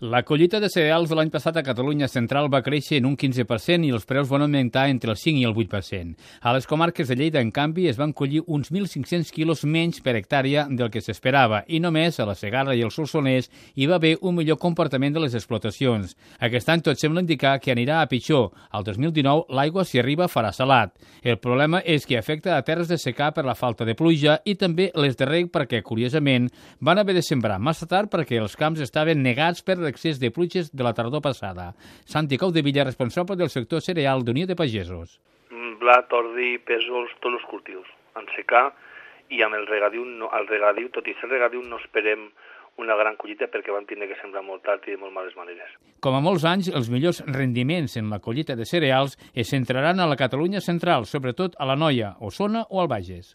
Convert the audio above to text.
La collita de cereals de l'any passat a Catalunya Central va créixer en un 15% i els preus van augmentar entre el 5 i el 8%. A les comarques de Lleida, en canvi, es van collir uns 1.500 quilos menys per hectàrea del que s'esperava i només a la Segarra i el Solsonès hi va haver un millor comportament de les explotacions. Aquest any tot sembla indicar que anirà a pitjor. Al 2019 l'aigua, si arriba, farà salat. El problema és que afecta a terres de secà per la falta de pluja i també les de reg perquè, curiosament, van haver de sembrar massa tard perquè els camps estaven negats per l'excés de pluges de la tardor passada. Santi Caudevilla, responsable del sector cereal d'Unió de Pagesos. Blat, ordi, pèsols, tots els cultius. En secà i amb el regadiu, tot i ser regadiu, no esperem una gran collita perquè van tenir que sembrar molt tard i de molt males maneres. Com a molts anys, els millors rendiments en la collita de cereals es centraran a la Catalunya Central, sobretot a l'Anoia, Osona o al Bages.